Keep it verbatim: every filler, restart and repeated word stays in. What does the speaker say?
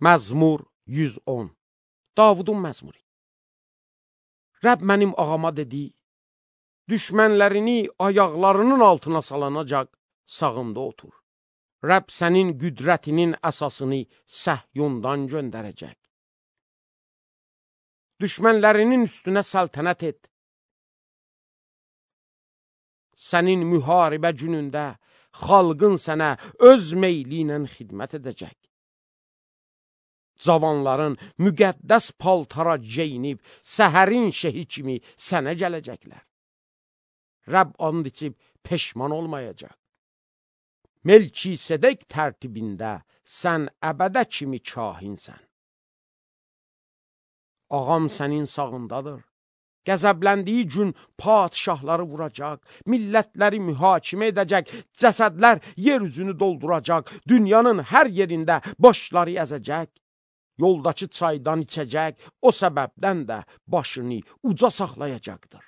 Məzmur yüz on. Davudun məzmuru. Rəbb mənim ağama dedi, düşmənlərini ayaqlarının altına salanacaq sağımda otur. Rəbb sənin qüdrətinin əsasını Səhyundan göndərəcək. Düşmənlərinin üstünə səltənət et. Sənin müharibə günündə xalqın sənə öz meyli ilə xidmət edəcək. Cavanların müqəddəs paltara geyinib, səhərin şehi kimi sənə gələcəklər. Rəbb and içib peşman olmayacaq. Melkisedek tərtibində sən əbədə kimi kahinsən. Ağam sənin sağındadır. Qəzəbləndiyi gün padişahları vuracaq, millətləri mühakimə edəcək, cəsədlər yer üzünü dolduracaq, dünyanın hər yerində başları əzəcək. Yoldakı çaydan içəcək, o səbəbdən də başını uca saxlayacaqdır.